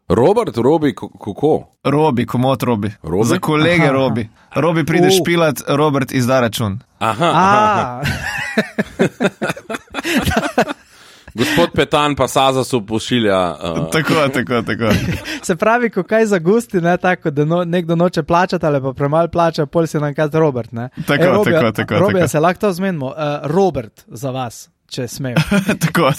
Robert, Robi, kako? Robi, komot Robi. Robi? Za kolege Robi. Robi pride špilat, Robert izda račun. Aha. Gospod Petan pa Sazasu pošilja. Tako. Se pravi, ko kaj zagusti, ne, tako, da nekdo noče plačati ali pa premalo plača, pol se nam kaže Robert. Ne. Tako. Robija, se lahko to zmenimo. Robert za vas, če smejo. Tako.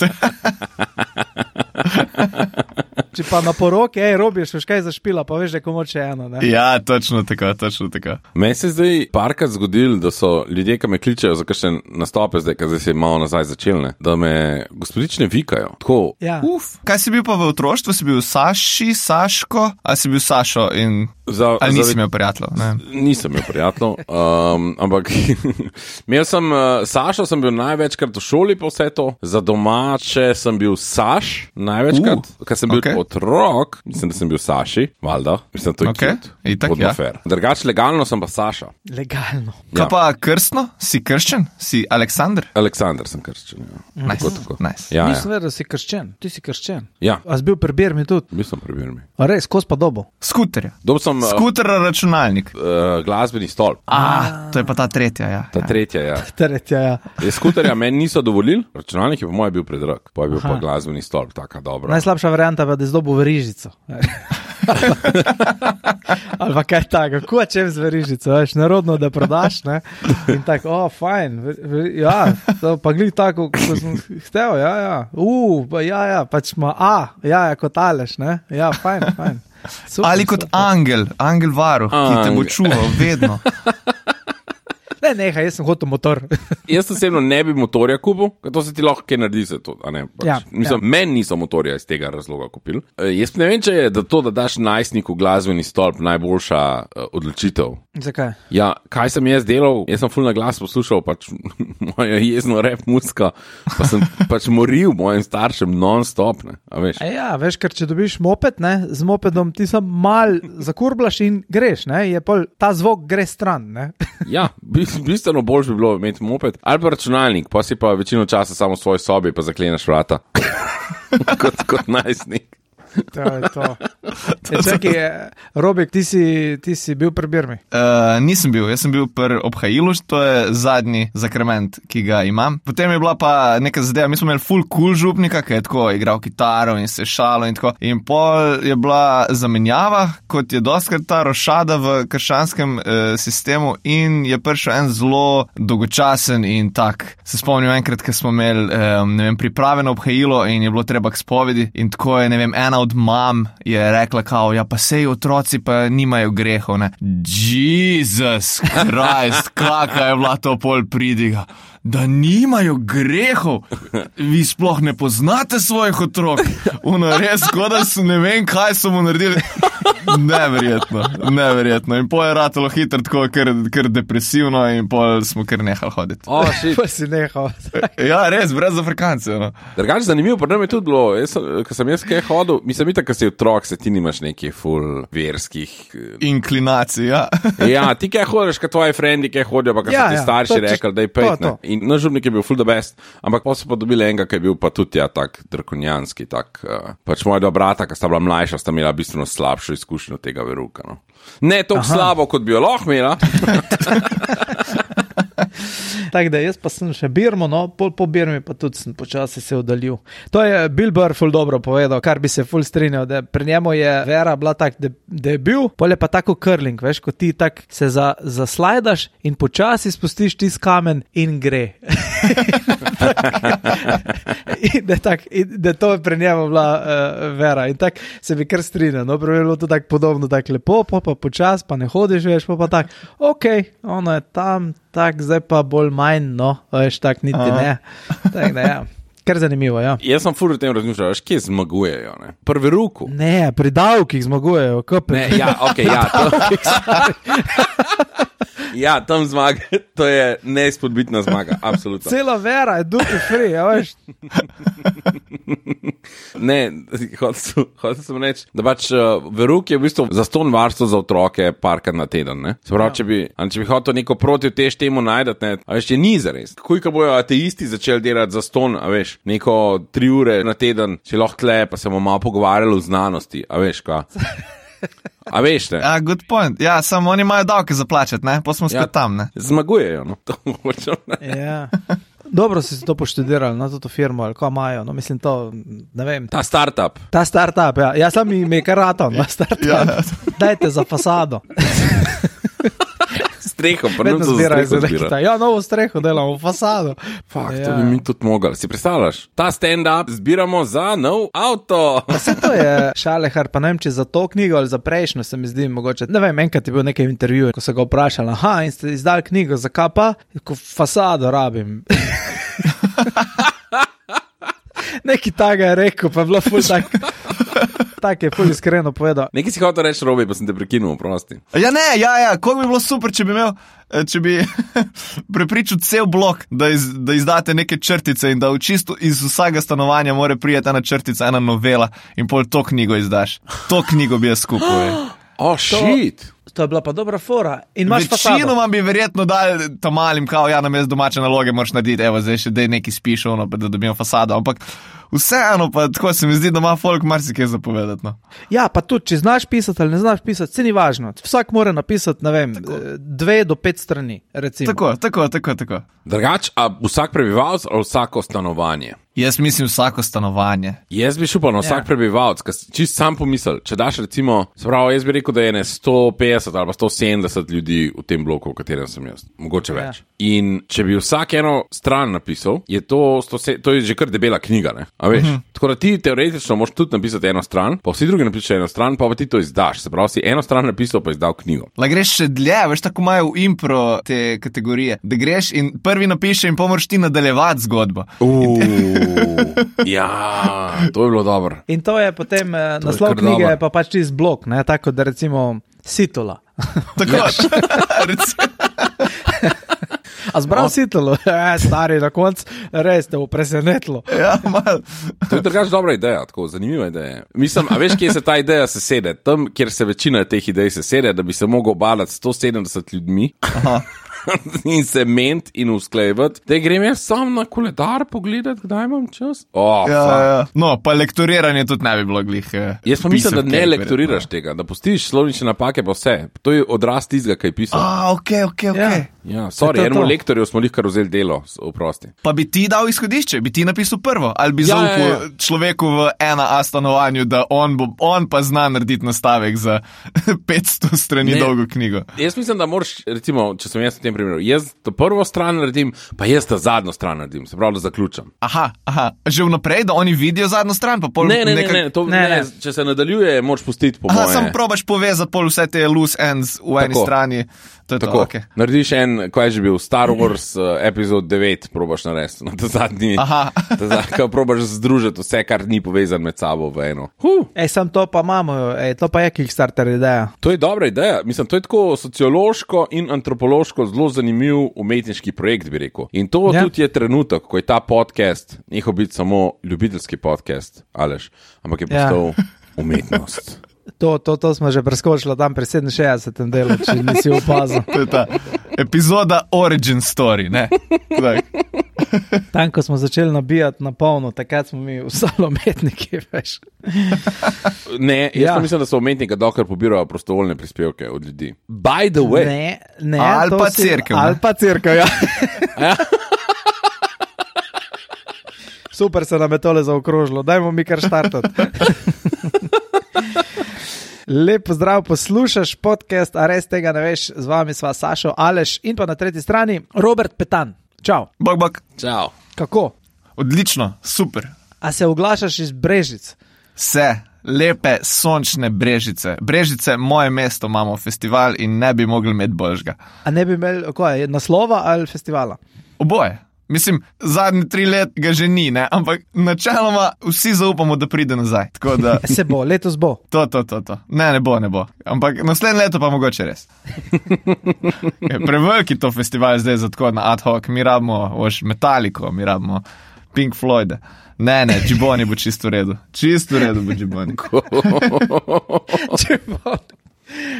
Če pa na poroki, Robi, še kaj zašpila, pa veš, da je komu še eno. Ne? Ja, točno tako. Meni se zdaj parkrat zgodil, da so ljudje, ki me kličejo za kakšne nastope, zdaj se je malo nazaj začelne, da me gospodične vikajo. Tako, ja. Kaj si bil pa v otroštvu? Si bil Saši, Saško, ali si bil Sašo in... Ali nisi imel prijateljev? Nisem imel prijateljev, ampak Sašo sem bil največkrat v šoli po vse to, za domače sem bil Saš največkrat, ker sem bil otrok, mislim, da sem bil Saši, valjda, mislim, da to je cute. Itak, ja. Drugače legalno sem pa Saša. Legalno. Kaj pa krstno? Si krščen? Si Aleksandr? Aleksandr sem krščen, ja. Nice. Ja, nisem vedel, da si krščen. Ti si krščen. Ja. A si bil pri Birmi tudi? Bil sem pri Birmi. A res, kos pa dobo? Skuterja. Skuter računalnik. Glasbeni stolp. To je pa ta tretja, ja. Tretja, ja. Skuterja meni niso dovolili, računalnik je po moje bil predrag, pa je bil pa glasbeni stolp, taka dobra. Najslabša varianta pa, da je zdobil verižico. Ali pa kaj tako, kako čem z verižico, veš, narodno, da prodaš, ne? In tako, fajn, ja, pa glih tako, ko sem htel, ja, pač ima kot Aleš, ne? Ja, fajn. Super, ali kot angel varuh, ki te bo čuval vedno. Nehaj, jaz sem hotel motor. Jaz osebno ne bi motorja kupil, ker to se ti lahko kaj naredi za to. Meni niso motorja iz tega razloga kupili. Jaz ne vem, če je to, da daš najstniku glasbeni stolp, najboljša odločitev. Zakaj? Ja, kaj sem jaz delal? Jaz sem ful na glas poslušal pač mojo jezno rap mucka, pa sem pač moril mojim staršem non-stop, ne, a veš? Ja, veš, ker če dobiš moped, ne, z mopedom ti sam mal zakurblaš in greš, ne, je pol, ta zvok gre stran, ne. Ja, bistveno boljš bi bilo imeti moped, ali pa računalnik, pa si pa večino časa samo v svoji sobi, pa zakleneš vrata. kot najstnik. To je to. Čakaj, Robik, ti si bil pri Birmi? Nisem bil, jaz sem bil pri Obhajilu, to je zadnji zakrament, ki ga imam. Potem je bila pa neka zadeva, mi smo imeli full cool župnika, ki je tako igral kitaro in se šalo in tako. In pol je bila zamenjava, kot je dostkrat ta rošada v krščanskem sistemu in je prišel en zelo dolgočasen in tak. Se spomnim enkrat, ko smo imeli priprave na Obhajilo in je bilo treba k spovedi in tako je, ena od mam je rekla kao, ja pa sej otroci pa nimajo grehov, ne. Jesus Christ, kakva je bila to pol pridiga. Da nimajo grehov, vi sploh ne poznate svojih otrok. Ono res, kot da so ne vem, kaj so mu naredili. Neverjetno. In pol je ratalo hitro tako, ker depresivno in pol smo kar nehali hoditi. Pa si nehal. Ja, res, brez Afrikancev. No. Drugače zanimivo, pa nam je tudi bilo, ko sem jaz kaj hodil, mislim, itak, ko si otrok, se ti nimaš nekih full verskih inklinacij, ja. Ja, ti kaj hodiš, ko tvoji frendi kaj hodijo, pa ko so ti starši rekli, da je pet, ne. In naš župnik je bil full the best, ampak pa so pa dobili enega, ki je bil pa tudi tak drakonjanski, pač moja dva brata, ki sta bila mlajša, sta imela bistveno slabšo izkušnjo tega veruka, no. Ne toliko slabo, kot bi jo lahko imela. Tako da jaz pa sem še Birmo, no, po Birmi pa tudi sem počasi se oddaljil. To je Bill Burr ful dobro povedal, kar bi se ful strinjal, da pri njemu je vera bila tak, da je bil, pol je pa tako curling, veš, ko ti tak se zaslajdaš in počasi spustiš tis kamen in gre. Da to je pri njemu bila vera in tak se bi kar strinjal, no, prav je bilo to tak podobno, tak lepo, pa počas, pa ne hodiš, veš, pa tak, ono je tam, tak, zdaj pa bolj manj, no, veš, tak niti ne. Tak, da, ja. Kar zanimivo, ja. Jaz sem ful o tem razmišljal, veš, kje zmagujejo, ne? Pri veruku. Ne, pri davkih zmagujejo, Ne, ja, ja, to. Ja, tam zmaga, to je neizpodbitna zmaga, absolutno. Cela vera je duty free, ja, veš. Ne, hotel sem reči, da pač Veruk je v bistvu zastonj varstvo za otroke parkrat na teden, ne? Se pravi, če bi hotel neko protivtež temu najdati, ne, a veš, je ni zares. Ko bojo ateisti začeli delati zastonj, a veš, neko 3 ure na teden, če lahko tle, pa se bomo malo pogovarjali o znanosti, a veš, kva. A veš, ne? Ja, good point. Ja, samo oni imajo davke za plačati, ne? Pa smo spet tam, ne? Zmagujejo, no. To hočem, ne? Ja. Dobro si to poštudirali na to firmo, ali ko imajo, no mislim to, ne vem. Ta startup, ja. Ja, sam mi je karaton, na startup. Ja. Dajte za fasado. Streho, pa ne to zbirajo. Ja, novo streho delamo, fasado. Fakt, to bi mi tudi mogli. Si predstavljaš? Ta stand-up zbiramo za nov avto. Pa se to je Šalehar, pa ne vem, če za to knjigo ali za prejšnjo se mi zdi mogoče. Ne vem, enkrat je bil nekaj intervju, ko se ga vprašali, in ste izdali knjigo, zakaj pa? Ko fasado rabim. Neki taga je rekel, pa je bilo ful tak. Tak je ful iskreno povedal. Nekaj si hotel reči, Robi, pa sem te prekinul, prosti. Ja, koliko bi bilo super, če bi prepričal cel blok, da izdate neke črtice in da v čisto iz vsega stanovanja mora prijeti ena črtica, ena novela in pol to knjigo izdaš. To knjigo bi jaz skupaj. Oh, shit! To je bila pa dobra fora. In imaš fasado. Večinoma bi verjetno dali tam malim, kao, ja, namesto domače naloge moraš narediti, evo, zdaj še dej neki spiš, da dobimo fasado, ampak vseeno pa tako se mi zdi, da ima folk marsikaj zapovedati, no. Ja, pa tudi, če znaš pisati ali ne znaš pisati, se ni važno. Vsak mora napisati, ne vem, 2 do 5 strani, recimo. Tako. Drugač, a vsak prebivalc ali vsako stanovanje? Jaz mislim vsako stanovanje. Jaz bi šel pa na vsak prebivalc, čist sam pomisel, če daš recimo, se pravi, jaz bi rekel, da je 150 ali pa 170 ljudi v tem bloku, v katerem sem jaz, mogoče več. In če bi vsak eno stran napisal, je to je že kar debela knjiga, ne? A veš? Tako da ti teoretično moraš tudi napisati eno stran, pa vsi drugi napišejo eno stran, pa ti to izdaš. Se pravi, si eno stran napisal, pa izdal knjigo. La greš še dlje, veš, tako imajo v impro te kategorije, da greš in prvi napiše in pomoraš ti nadaljevati zgodbo. Ja, to je bilo dobro. In to je potem naslov knjige, pa pač čist blok, ne, tako da recimo Sitola. Tako, A zbral Sitolo? Stari, na koncu res te bo presenetilo. Ja, malo. To je drugač dobra ideja, tako zanimiva ideja. Mislim, a veš, kje se ta ideja sesede? Tam, kjer se večina teh idej sesede, da bi se mogel obalati 170 ljudmi. Aha. In se ment in usklejevati, da grem jaz sam na koledar pogledati, kdaj imam čas. Ja. No, pa lektoriranje tudi ne bi bilo glih. Jaz pa mislim, da ne lektoriraš tega, da postiš slovnične napake pa vse. To je odraz tistega, kaj je pisal. Ok. Ja, sorry, enemu lektorju smo kar vzeli delo, oprosti. Pa bi ti dal izhodišče, bi ti napisal prvo, ali bi zaupal človeku v 1A stanovanju, da on pa zna narediti nastavek za 500 strani dolgo knjigo. Jaz mislim, da moraš, recimo, če sem jaz v tem primeru, jaz to prvo stran naredim, pa jaz to zadnjo stran naredim, se pravi, da zaključam. Aha, že vnaprej, da oni vidijo zadnjo stran, pa pol Ne, če se nadaljuje, moraš pustiti po moje. Samo probaš povezati pol vse te loose ends v eni strani. To je tako, okay. Narediš kaj je že bil, Star Wars epizod 9 probaš narediti, na ta zadnji, ko probaš združiti vse, kar ni povezan med sabo v eno. Sam to pa imamo, to pa je Kickstarter ideja. To je dobra ideja, mislim, to je tako sociološko in antropološko zelo zanimiv umetniški projekt, bi rekel. In to tudi je trenutek, ko je ta podcast, nehal biti samo ljubiteljski podcast, Aleš, ampak je postal umetnost. To smo že preskočili tam pri 67. delu, če nisi opazil. To je ta epizoda Origin Story, ne? Tam, ko smo začeli nabijati na polno, takrat smo mi vsali umetniki, veš. Ne, jaz mislim, da so umetniki dokler pobirajo prostovoljne prispevke od ljudi. By the way. Ne, ali pa cerkev. Ali pa cerkev, ja. Super se nam je tole zaokrožilo, dajmo mi kar štartati. Lep pozdrav, poslušaš podcast, a res tega ne veš, z vami sva Sašo, Aleš in pa na tretji strani Robert Petan. Čau. Bok. Čau. Kako? Odlično, super. A se oglašaš iz Brežic? Se, lepe, sončne Brežice. Brežice, moje mesto, imamo festival in ne bi mogli imeti boljšega. A ne bi imeli, naslova ali festivala? Oboje. Mislim, zadnji 3 let ga že ni, ne? Ampak načeloma vsi zaupamo, da pride nazaj. Tako da... Se bo, letos bo. To. Ne bo. Ampak naslednje leto pa mogoče res. Preveliki to festival zdaj za tako na ad hoc. Mi rabimo Metallico, mi rabimo Pink Floyd. Ne, Džiboni bo čisto v redu. Čisto v redu bo Džiboni.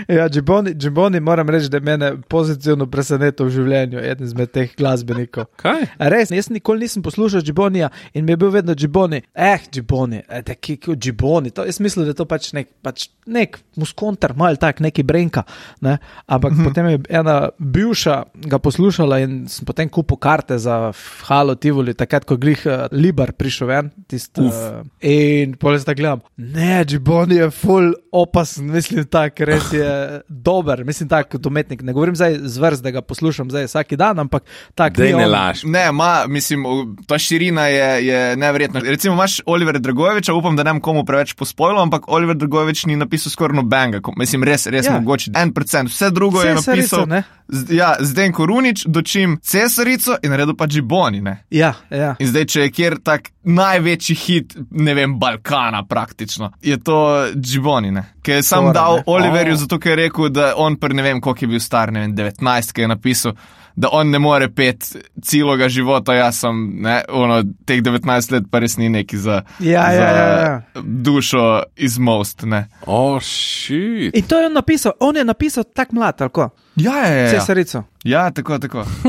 Ja, Džiboni moram reči, da je mene pozitivno presenetil v življenju, eden izmed teh glasbenikov. Kaj? Res, jaz nikoli nisem poslušal Džibonija in mi je bil vedno Džiboni. Džiboni, Džiboni. Jaz mislim, da je to pač nek muskontar, malo tak, neki brenka. Ne? Ampak potem je ena bivša ga poslušala in sem potem kupil karte za Halo Tivoli, takrat, ko glih Libar prišel ven. In potem se tako gledam, ne, Džiboni je ful opasen, mislim tak, res je dober, mislim tak kot umetnik. Ne govorim zdaj zvrst, da ga poslušam zdaj vsaki dan, ampak tak ni on. Ne laž. Ne, mislim, ta širina je neverjetna. Recimo imaš Oliver Dragojeviča, upam, da ne bom komu preveč pospojil, ampak Oliver Dragojevič ni napisal skoraj nobenega. Mislim, res mogoče 1%. Vse drugo je napisal Zdenko Runič, dočim Cesarico in naredil pa Džiboni, ne? Ja. In zdaj, če je kjer tak največji hit, ne vem, Balkana praktično, je to Džiboni, ne? Ker je sam dal Oliverju, zato ker je rekel, da on ne vem, koliko je bil star, ne vem, 19, ki je napisal, da on ne more pet celoga života, jaz sem, teh 19 let pa res ni neki za dušo izmost, ne. Shit. In to je on napisal tak mlad, ali ko? Ja. Cesarico. Ja, tako.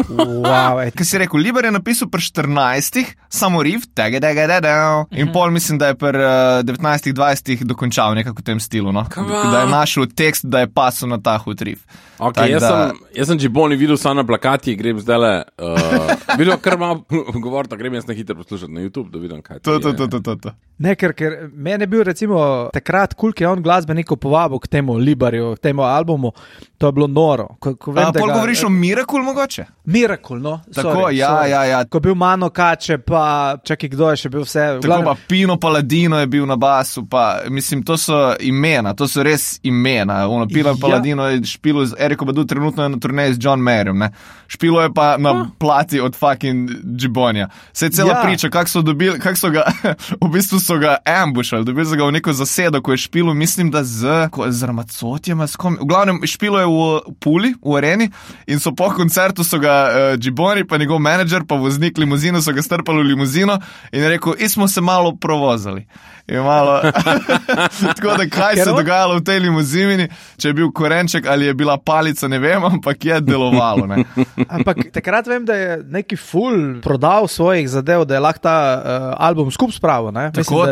Wow, Kaj si rekel, Libar je napisal pri 14, samo riff, in pol mislim, da je pri 19-20 dokončal nekako v tem stilu, no? Da je našel tekst, da je pasel na ta hud riff. Okay, jaz sem Džiboni videl samo na plakati, grem zdajle, videl kar malo govorita, grem jaz na hitro poslušati na YouTube, da vidim, kaj to. Ne, ker meni je bil recimo takrat ki je on glasbenikov povabil k temu Libarju, k temu albumu, to je bilo noro. Pol govoriš o Miracle mogoče? Miracle, no. Tako, ja. Ko je bil Mano Kače, pa čakaj, kdo je še bil vse. Tako pa Pino Paladino je bil na basu, pa mislim, to so imena, to so res imena. Pino Paladino je špilo z Eriko Badu, trenutno je na turneji z John Mayerjem, ne. Špilo je pa na plati od fucking Džibonija. Se je cela priča, kak so ga, v bistvu so ga ambushali, dobili so ga v neko zasedo, ko je špilo, mislim, da z Ramacotjem, v glavnem špilo je v Puli, v areni, in so po koncertu so ga Džiboni, pa njegov menedžer, pa voznik limuzino, so ga strpali v limuzino in je rekel, smo se malo provozali. In malo, tako da kaj se dogajalo v tej limuzini, če je bil korenček ali je bila palica, ne vem, ampak je delovalo, ne. Ampak takrat vem, da je neki ful prodal svojih zadev, da je lahko ta album skup spravil, ne. Tako.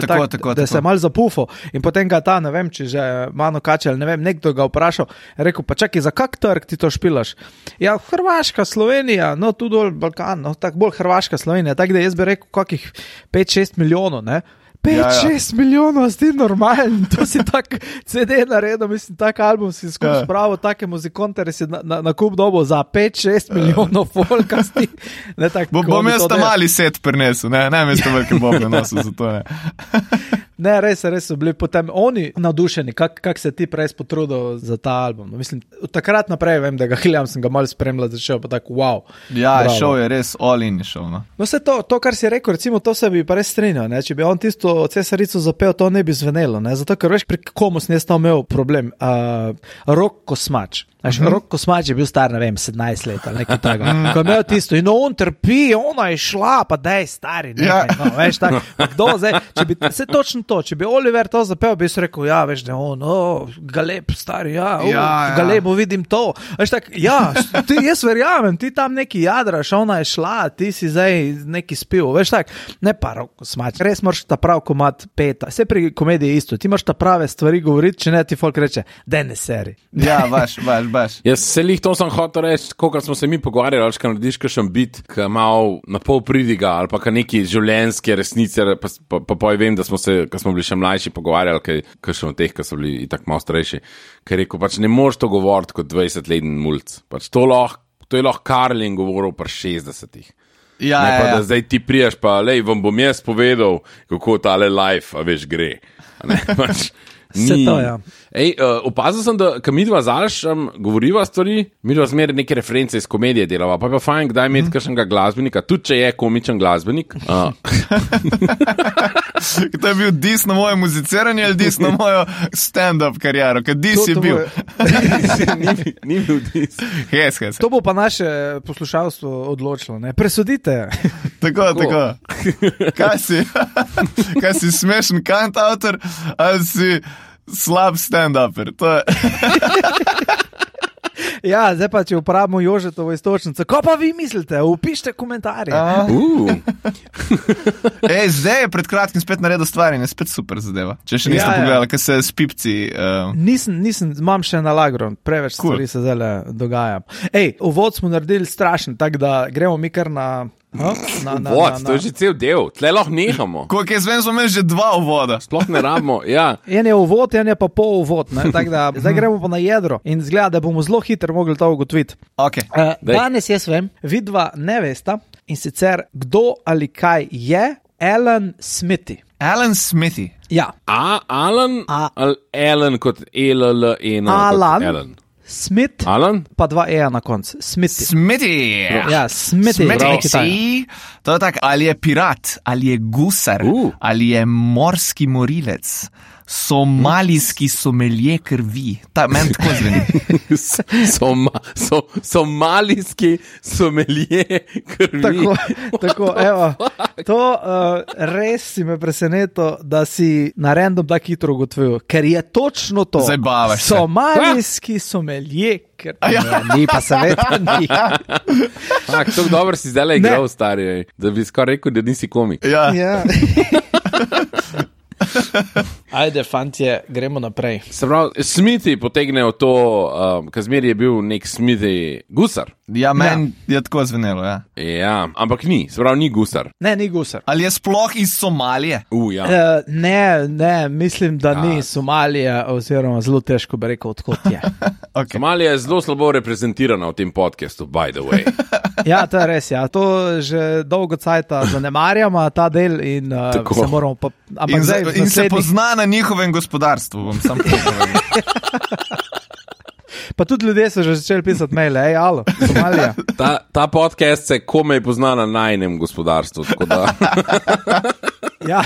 Da se je malo zapufal in potem ga ta, ne vem, če že Mano Kače ali ne vem, nekdo ga vprašal, je rekel, pa čakaj, za kak trg ti to špilaš? Ja, Hrvaška, Slovenija, no tu dol Balkan, no tako bolj Hrvaška, Slovenija, tako da jaz bi rekel kakih 5-6 milijonov, ne. 5-6 milijonov, si normalen, to si tak CD naredil, mislim, tak album si skupaj spravil, take muzikontere si na kup dobo za 5-6 milijonov folkasti. Bom jaz tam mali set prinesel, ne mesto velike bobe nosil za to, ne. Ne, res so bili potem oni navdušeni, kak se ti prej potrudil za ta album. Mislim, od takrat naprej vem, da ga hiljam, sem ga malo spremljal, začel pa tako, wow. Ja, šel je res all in šel, no. No, vse to, kar si rekel, recimo, to se bi pa res strinjal, ne, če bi on tisto Cesarico zapel, to ne bi zvenelo, ne, zato, ker veš, pri komu sem jaz tam imel problem, Rok Kosmač. Rok Kosmač je bil star, ne vem, 17 let ali nekaj tako. Ko je imel tisto in on trpi, ona je šla, pa daj stari, nekaj, no, veš, tako. Kdo zdaj, če bi, se točno to, če bi Oliver to zapel, bi se rekel, ja, veš, da on, Galeb, stari, Galebu vidim to. Veš, tako, ja, jaz verjamem, ti tam neki jadraš, ona je šla, ti si zdaj neki spil, veš, tako, ne pa Rok Kosmač, res moraš ta prav komad peta, vse pri komediji isto, ti moraš ta prave stvari govoriti, če ne ti folk reče, daj ne seri. Ja, baš. Jaz se lih to sem hotel reči, kolikor smo se mi pogovarjali, kaj narediš kakšen bit, ki malo na pol pridiga, ali pa neki življenjske resnice, pa vem, da smo se, ko smo bili še mlajši, pogovarjali, kakšen od teh, ki so bili itak malo starejši, ker rekel, pač ne moreš to govoriti kot 20-letni mulc. Pač to je lahko Karlin govoril pri 60-ih. Ja, ne pa, da zdaj ti priješ, pa lej, vam bom jaz povedal, kako tale life, a veš, gre. Ne, pač, Vse to, ja. Opazil sem, da ko midva z Alešem govoriva stvari, midva zmeraj neke reference iz komedije delava, pa je pa fajn, kdaj imeti kakšnega glasbenika, tudi če je komičen glasbenik. To je bil dis na moje muziciranje ali dis na mojo stand-up kariero, ker dis je bil. Ni bil dis. Hes. To bo pa naše poslušalstvo odločilo, ne? Presudite. Tako. Kaj si smešen kantautor ali si slab stand-uper? To je... Ja, zdaj pa, če uporabimo Jožetovo istočnico, ko pa vi mislite, upišite komentarje. Zdaj je pred kratkim spet naredil stvari in je spet super zadeva. Če še niste pogledali, kaj se s pipci... Nisem, imam še na lagro, preveč stvari se zdaj dogaja. Uvod smo naredili strašen, tako da gremo mi kar na... To je že cel del, tle lahko nehamo. Koliko jaz vem, smo imeli že 2 uvoda. Sploh ne rabimo, ja. En je uvod, en je pa pol uvod, ne? Tako da zdaj gremo pa na jedro in zgleda, da bomo zelo hitro mogli to ugotoviti. Okay. Danes jaz vem, vidva ne vesta in sicer kdo ali kaj je Alan Smithy. Alan Smithy? Ja. Alan ali Alan kot E-L-L-E-N kot Alan? Smith, Alan? Pa 2 E na koncu. Smithy. Ja, Smithy. To je tak, ali je pirat, ali je gusar, ali je morski morilec, somalijski somelje krvi. Meni tako zveni. Somalijski somelje krvi. Tako, evo. To res si me presenetil, da si na random tako hitro ugotovil, ker je točno to. Zabavaš se. Somalijski somelje krvi. Ni pa seveda ni. Tako dobro si zdaj igral, stari, da bi skoraj rekel, da nisi komik. Ja. Ajde, fantje, gremo naprej. Se pravi, Smithy potegnejo to, Kazmir je bil nek Smithy gusar. Ja, meni je tako zvenelo, ja. Ja, ampak ni, se pravi, ni gusar. Ne, ni gusar. Ali je sploh iz Somalije? Ja. Ne, mislim, da ni Somalija, oziroma zelo težko bi rekel, odkot je. Okay. Somalija je zelo slabo reprezentirana v tem podcastu, by the way. Ja, to je res, ja. To že dolgo cajta zanemarjamo, ta del in se moramo pa... In se pozna na njihovem gospodarstvu, bom sam povedal. Pa tudi ljudje so že začeli pisati maile, alo, Somalija. Ta podcast se komaj pozna na najnem gospodarstvu, tako da... Ja,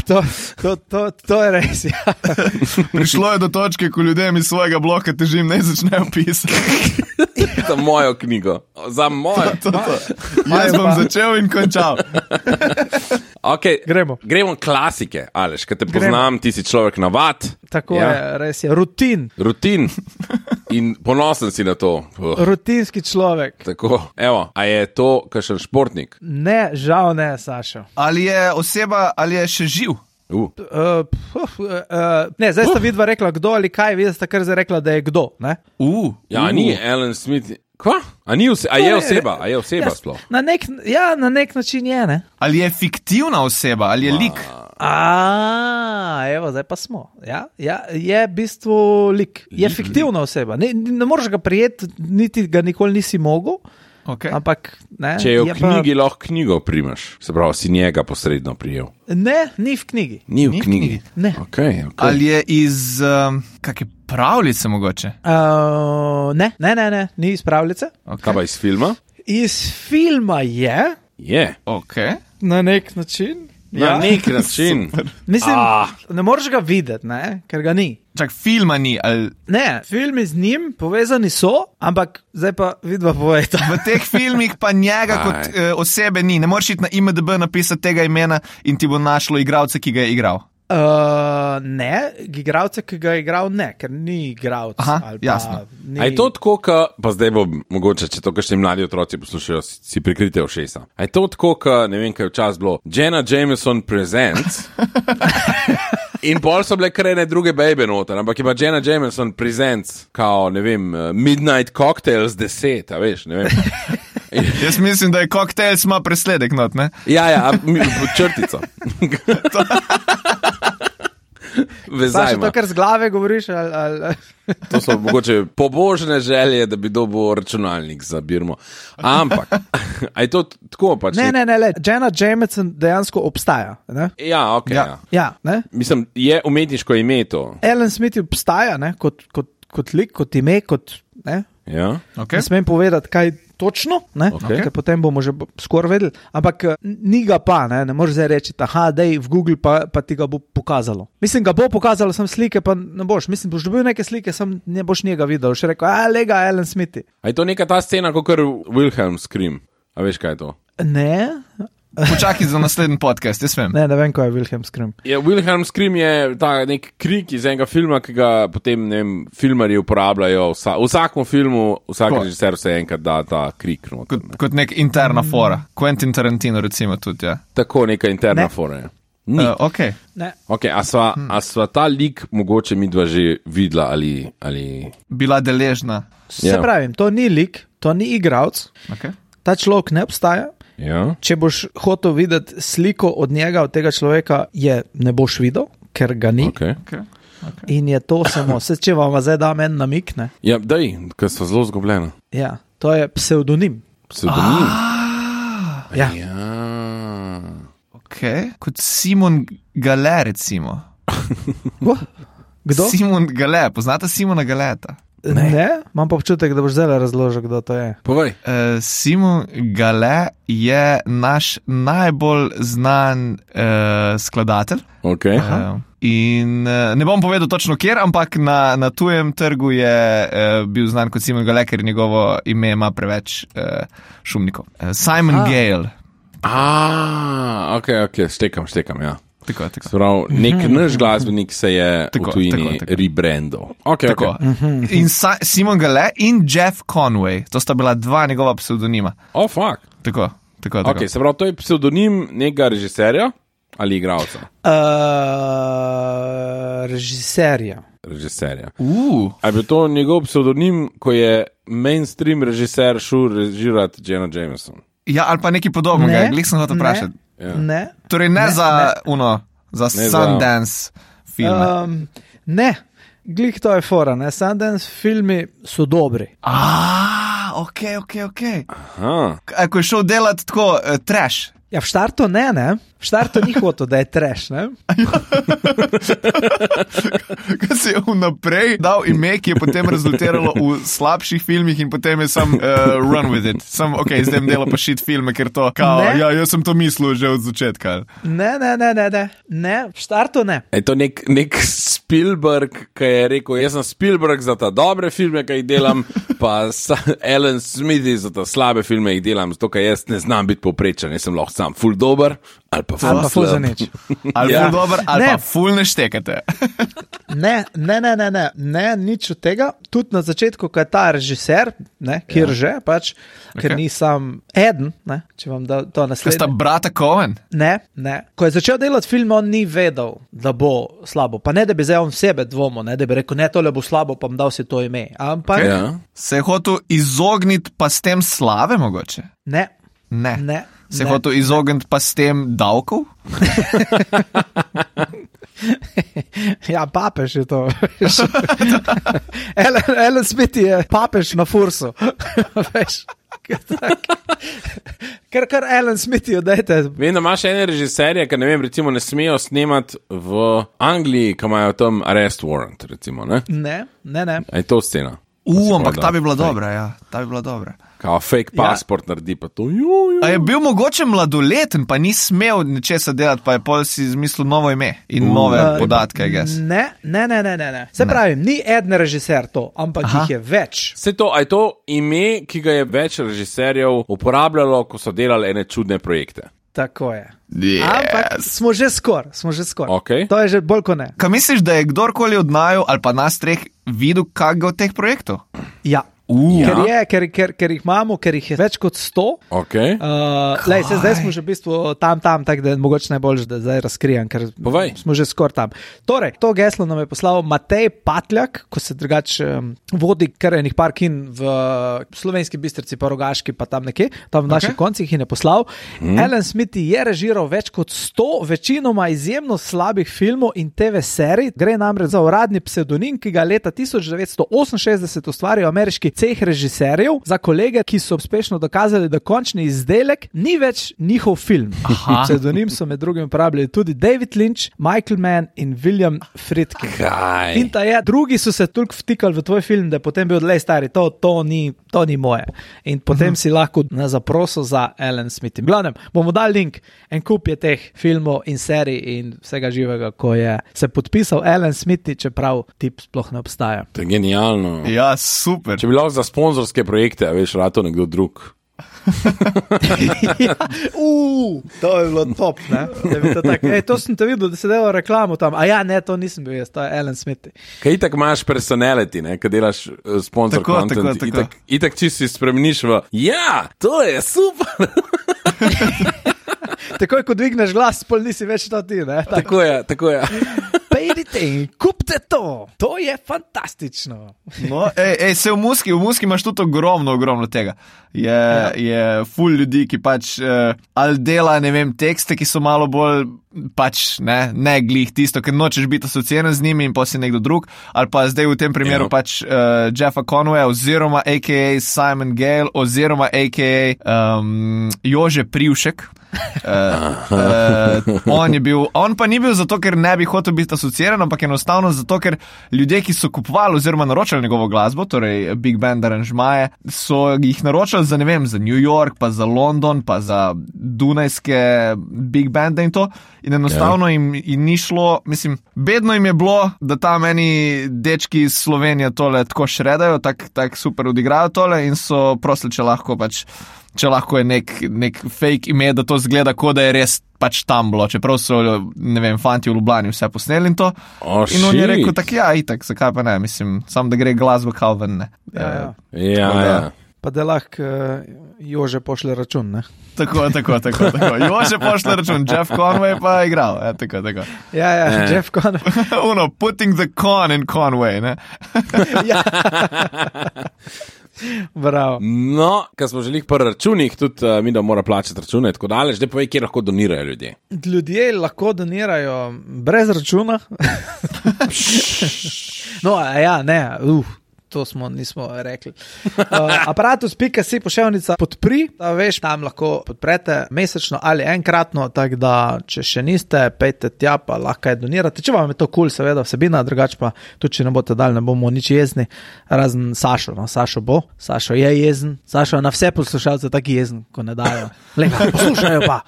to je res, ja. Prišlo je do točke, ko ljudem iz svojega bloka težim ne začnejo pisati. Za mojo knjigo. Za mojo. Jaz bom začel in končal. Okay, gremo klasike, Aleš, kad te poznam, ti si človek navad. Tako je, res je, rutin. In ponosen si na to. Rutinski človek. Tako, evo, a je to kakšen športnik? Ne, žal ne, Sašo. Ali je oseba, ali je še živ? Ne, zdaj sta vidva rekla kdo ali kaj, vidva sta kar zdaj rekla, da je kdo, ne? Ja, ni Alan Smith. Kva? A je oseba sploh? Na nek način je, ne? Ali je fiktivna oseba, ali je lik? Evo, zdaj pa smo. Ja, je v bistvu lik. Je fiktivna oseba. Ne moreš ga prijeti, niti ga nikoli nisi mogel. Okay. Ampak, ne, če je v knjigi, lahko knjigo primaš. Se pravi, si njega posredno prijel. Ne, ni v knjigi. Ni v knjigi. Ne. Okay. Ali je iz kakšne pravljice mogoče? Ne, ni iz pravljice. Okay. Kaj pa iz filma? Iz filma je. Je. Okay. Na nek način. Na nek način. Mislim, ne moreš ga videti, ne? Ker ga ni. Čak, filma ni, ali... Ne, filmi z njim povezani so, ampak zdaj pa vidva povejta. V teh filmih pa njega kot osebe ni. Ne moreš iti na IMDb napisati tega imena in ti bo našlo igralce, ki ga je igral. Ne, igralce, ki ga je igral, ne, ker ni igralc. Aha, jasno. A je to tako, pa zdaj bo mogoče, če to kakšni mladi otroci poslušajo, si prikrite ušesa. A je to tako, ne vem, kaj včasih bilo, Jenna Jameson Presents... In pol so bile krene druge bejbe noter, ampak je pa Jenna Jameson Presents, kao, ne vem, Midnight Cocktails 10, a veš, ne vem. Jaz mislim, da je Cocktails ima presledek not, ne? Ja, črtica. vezaj. To, kar z glave govoriš, ali... To so mogoče pobožne želje, da bi dobil računalnik za Birmo. Ampak, a je to tako pač? Ne, Jenna Jameson dejansko obstaja. Ne? Ja, ok. Ja, ne? Mislim, je umetniško ime to. Alan Smith obstaja, ne? Kot lik, kot ime, kot... Ne? Ja. Okay. Ne smem povedati, kaj točno, okay. Ker potem bomo že skoraj vedeli, ampak ni ga pa, ne moreš zdaj reči, dej v Google pa ti ga bo pokazalo. Mislim, ga bo pokazalo, sem slike, pa ne boš. Mislim, boš dobil neke slike, sem ne boš njega videl. Še rekel, lega, Alan Smith. A je to neka ta scena, kot Wilhelm Scream? A veš, kaj je to? Ne. Počakaj za naslednji podcast, jaz vem. Ne vem, kaj je Wilhelm Scream. Wilhelm Scream je ta nek krik iz enega filma, ki ga potem, ne vem, filmarji uporabljajo. V vsakem filmu, vsak režiser se enkrat da ta krik. Kot nek interna fora. Quentin Tarantino recimo tudi, ja. Tako, neka interna fora, ja. Okay. A sva ta lik mogoče midva že videla ali... Bila deležna. Se pravim, to ni lik, to ni igralec. Okay. Ta človek ne obstaja. Ja. Če boš hotel videti sliko od njega, od tega človeka, ne boš videl, ker ga ni. Okay. In je to samo, če vam zdaj dam en namik, ne? Ja, daj, ker so zelo zgubljena. Ja, to je psevdonim. Psevdonim? Ja. Ok, kot Simon Gale, recimo. Kdo? Simon Gale, poznate Simona Galeta? Ne, imam pa občutek, da boš zdaj razložil, kdo to je. Povej. Simon Gale je naš najbolj znan skladatelj. Okay. In ne bom povedal točno kjer, ampak na tujem trgu je bil znan kot Simon Gale, ker njegovo ime ima preveč šumnikov. Simon Gale. Ok, štekam, ja. Tako. Sprav, nek naš glasbenik se je v tujini rebrandal. Okay. In Simon Gale in Jeff Conway, to sta bila dva njegova pseudonima. Oh, fuck. Tako. Ok, se pravi, to je pseudonim nekega režiserja ali igralca? Režiserja. A je to njegov pseudonim, ko je mainstream režiser šel režirati Jenna Jameson? Ja, ali pa nekaj podobnega, glih sem hotel vprašati. Ne. Torej za Sundance filme. Ne, glih to je fora, ne. Sundance filmi so dobri. Ok. Ko je šel delati tako trash. Ja, v štartu ne. V štartu ni hotel, da je trash, ne? Kaj si je vnaprej dal ime, ki je potem rezultiralo v slabših filmih in potem je sam run with it. Ok, zdaj dela pa shit filme, ker to jaz sem to mislil že od začetka. Ne, v štartu ne. Je to nek Spielberg, ki je rekel, jaz sem Spielberg za ta dobre filme, ki jih delam, pa Alan Smith za ta slabe filme jih delam, zato ker jaz ne znam biti povprečen, jaz sem lahko sam ful dober, ali pa ful za nič. Ali ful dober, ali pa ful ne štekate. Ne, nič od tega. Tudi na začetku, ko je ta režiser, kjer že, pač, ker ni sam eden, če vam da to naslednje. Kaj sta brata Coen? Ne. Ko je začel delati film, on ni vedel, da bo slabo. Pa ne, da bi zdaj on sebe dvomil, da bi rekel, ne, tole bo slabo, pa mu dal si to ime. Ampak... Se je hotel izogniti pa s tem slave mogoče? Ne. Se je hotel izogniti pa s tem davkov? Ja, papež je to. Alan Smith je papež na fursu. Veš? Kar Alan Smith je, dajte. Vem, da imaš ene režiserje, ki ne vem, recimo ne smejo snemati v Angliji, ko imajo tam arrest warrant, recimo, ne? Ne. Je to scena? Ampak ta bi bila dobra, ja. Ta bi bila dobra. Kao fake pasport naredi pa to. A je bil mogoče mladoleten, pa ni smel nečesa delati, pa je pol si izmislil novo ime in nove podatke, I guess. Ne. Se pravi, ni eden režiser to, ampak jih je več. A je to ime, ki ga je več režiserjev uporabljalo, ko so delali ene čudne projekte? Tako je. Yes. Ampak smo že skoraj. Okay. To je že bolj kot ne. Kaj misliš, da je kdorkoli od naju ali pa nas treh videl kakega od teh projektov? Ja. Ker jih imamo, ker jih je več kot 100. Okay. Zdaj smo že v bistvu tam, tako da je mogoče najboljše, da zdaj razkrijem, ker smo že skoraj tam. Torej, to geslo nam je poslal Matej Patljak, ko se drugače vodi kar enih par kin v Slovenski Bistrici, pa Rogaški, pa tam nekje, tam v naših koncih in je poslal. Alan Smith je režiral več kot 100, večinoma izjemno slabih filmov in TV serij. Gre namreč za uradni psevdonim, ki ga leta 1968 ustvaril ameriški ceh režiserjev za kolege, ki so uspešno dokazali, da končni izdelek ni več njihov film. Psevdonim so med drugim uporabljali tudi David Lynch, Michael Mann in William Friedkin. In drugi so se toliko vtikali v tvoj film, da je potem bil odlej stari, to ni moje. In potem si lahko na zaprosil za Alan Smith. Glavnem, bomo dali link, en kup je teh filmov in serij in vsega živega, ko je se podpisal Alan Smith, čeprav tip sploh ne obstaja. To je genialno. Ja, super. Če bi lahko za sponzorske projekte, veš, rato nekdo drug. To je bilo top, ne? To sem te videl, da se delal reklamo tam. To nisem bil jaz, to je Alan Smith. Kaj itak imaš personality, ne? Kad delaš sponsor content, itak čisto si spremeniš v to je super. Takoj, ko dvigneš glas, pol nisi več to ti, ne? Tako je. Pejdite in kupte to. To je fantastično. No, se v Muski imaš tudi ogromno tega. Je ful ljudi, ki pač ali dela, ne vem, tekste, ki so malo bolj pač, ne glih tisto, ker nočeš biti asociiran z njimi in pa si nekdo drug, ali pa zdaj v tem primeru pač Jeffa Conwaya oziroma a.k.a. Simon Gale oziroma a.k.a. Jože Privšek. On pa ni bil zato, ker ne bi hotel biti asociiran, ampak enostavno zato, ker ljudje, ki so kupovali oziroma naročali njegovo glasbo, torej Big Band aranžmaje, so jih naročali za, ne vem, za New York, pa za London, pa za dunajske Big Bande in to. In enostavno jim ni šlo, mislim, bedno jim je bilo, da tam eni dečki iz Slovenije tole tako šredajo, tak super odigrajo tole in so prosili, če lahko je nek fake ime, da to zgleda, kot da je res pač tam bilo, čeprav so, ne vem, fanti v Ljubljani vse posneli in to. In on je rekel, itak, zakaj pa ne, mislim, sam da gre glasba kao ven, ne. Ja. Pa da lahko Jože pošle račun, ne? Tako. Jože pošle račun, Jeff Conway pa je igral, tako. Ja, Jeff Conway. Putting the con in Conway, ne? Ja. Bravo. No, kad smo želeli po računih, tudi mi da mora plačati račune, tako daleč, da povej, kje lahko donirajo ljudje. Ljudje lahko donirajo brez računa. To nismo rekli. Aparatus.si poševnica podpri, da veš, tam lahko podprete mesečno ali enkratno, tako da, če še niste, pejte tja, pa lahko je donirate. Če vam je to cool, seveda vsebina, drugače pa tudi, če ne boste dali, ne bomo nič jezni, razen Sašo, Sašo bo, Sašo je jezen, Sašo na vse poslušalce taki jezen, ko ne dajo.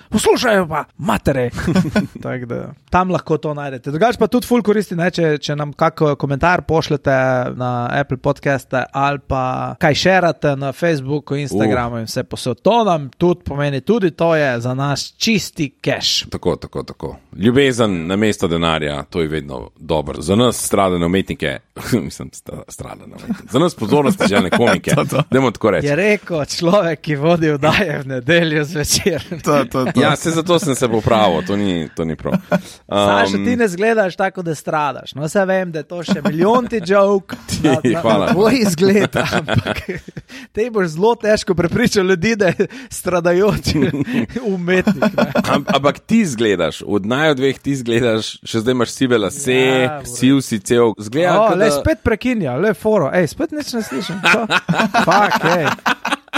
Poslušajo pa, matere. Tako da, tam lahko to najdete. Drugače pa tudi ful koristi, ne, če nam kak komentar pošljete na Apple podcaste ali pa kaj šerate na Facebooku, Instagramu in vse posod. To nam tudi pomeni, tudi to je za nas čisti cash. Tako. Ljubezen na mesto denarja, to je vedno dobro. Za nas stradane umetnike, za nas pozornosti želne komike, dajmo tako reči. Je rekel človek, ki vodi vdaje v nedeljo zvečer. To. Ja, zato sem se popravil, to ni prav. Saša, ti ne zgledaš tako, da stradaš. No, se vem, da je to še milijonti joke. Hvala. Tvoj izgled, ampak te boš zelo težko prepričal ljudi, da je stradajoči umetnik. Ampak ti izgledaš, od dveh ti izgledaš, še zdaj imaš sive lase, siv si cel. Le spet prekinja, le foro, spet nič ne slišim.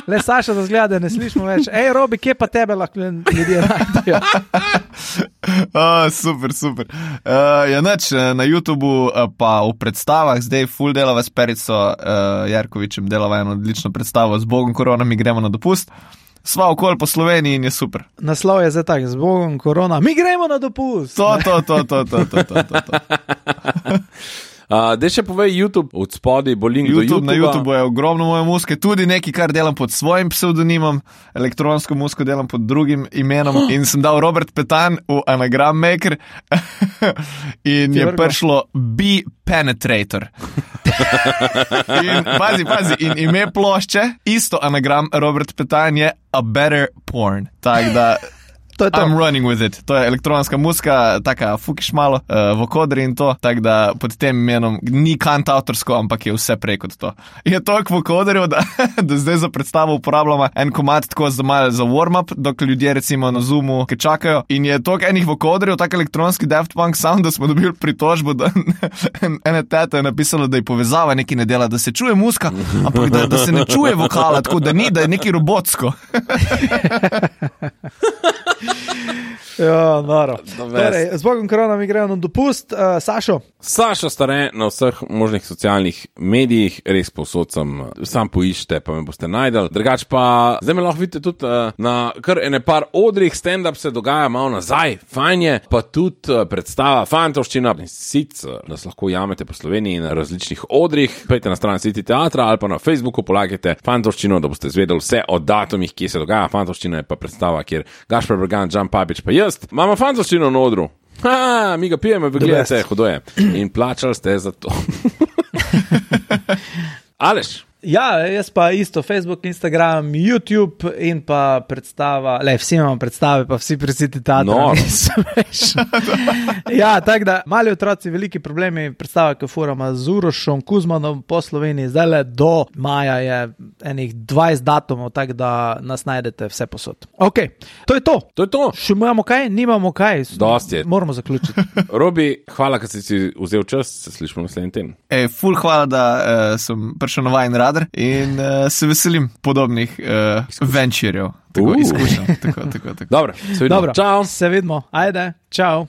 Le Saša da zgleda, da ne slišimo več. Robi, kje pa tebe lahko ljudje najdejo? Super. Na YouTubu pa v predstavah zdaj ful delava s Perico Jarkovičem, delava eno odlično predstavo Z Bogom korona, mi gremo na dopust. Sva okoli po Sloveniji in je super. Naslov je zdaj tak, Z Bogom korona, mi gremo na dopust. To. Dej še povej YouTube, od spodaj bo link do YouTube. Na YouTube je ogromno moje muzike, tudi nekaj, kar delam pod svojim psevdonimom, elektronsko muziko delam pod drugim imenom in sem dal Robert Petan v Anagram Maker in je prišlo Be Penetrator. In pazi, in ime plošče, isto anagram Robert Petajn je A Better Porn. Tak da... I'm running with it. To je elektronska muzika, taka fukiš malo vokodri in to, tak da pod tem imenom ni kantautorsko, ampak je vse prej kot to. Je toliko vokodrjev, da zdaj za predstavo uporabljamo en komad tako za warm-up, dok ljudje recimo na Zoomu ki čakajo in je toliko enih vokodrjev, tak elektronski Daft Punk sound, da smo dobili pritožbo, da ene teta je napisala, da je povezava nekaj ne dela, da se čuje muzika, ampak da se ne čuje vokala, tako da ni, da je nekaj robotsko. Ja, noro. Torej, z Bogom korona mi grejo na dopust. Sašo? Sašo Stare na vseh možnih socialnih medijih, res povsod sam poiščite, pa me boste najdel. Drugač pa, zdaj me lahko vidite tudi na kar ene par odrih, stand-up se dogaja malo nazaj, fajn je, pa tudi predstava Fantovščina, sicer nas lahko jamete po Sloveniji na različnih odrih, pejte na stran City Teatra ali pa na Facebooku polagajte Fantovščino, da boste zvedeli vse o datumih, kje se dogaja. Fantovščina je pa predstava, kjer Gašper Bergan, Jan Papič pa jaz, imamo Fantovščino na odru. Mi ga pijemo, vi gledate, hudo je. In plačali ste za to. Aleš? Ja, jaz pa isto, Facebook, Instagram, YouTube in pa predstava, vsi imamo predstave, pa vsi pri City Teatra. Ja, tako da, mali otroci, veliki problemi, predstava, ki furama z Urošom Kuzmanom po Sloveniji, zdaj do maja je enih 20 datumov, tako da nas najdete vse posod. Ok, to je to. To je to. Še imamo kaj? Nimamo kaj. Dosti je. Moramo zaključiti. Robi, hvala, ker si vzel čas, se slišimo naslednji teden. Ful hvala, da sem prišel na vajen radar in se veselim podobnih venčirjev. Tako izkušnja. Tako. Dobro, se vidimo. Čau. Se vidimo. Ajde, čau.